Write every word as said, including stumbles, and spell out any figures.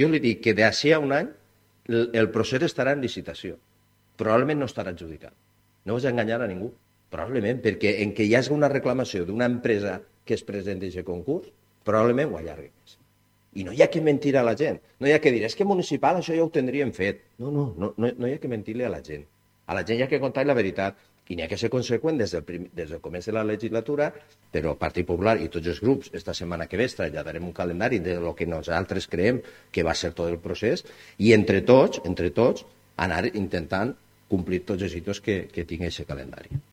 Jo li dic que d'ací a un any el, el procés estarà en licitació. Probablement no estarà adjudicat. No vas enganyar a ningú. Probablement, perquè en què hi hagi una reclamació d'una empresa que es presenti a aquest concurs, probablement ho allargui més. I no hi ha que mentir a la gent. No hi ha que dir, és que municipal això ja ho tindríem fet. No, no, no, no, no hi ha que mentir-li a la gent. A la gent hi ha que contar la veritat. I n'hi ha que ser conseqüent des del, prim, des del començ de la legislatura, però el Partit Popular i tots els grups, esta setmana que ve, traslladarem un calendari de lo que nosaltres creiem que va ser tot el procés, i entre tots, entre tots, anar intentant complir tots els hitos que, que tingui aquest calendari.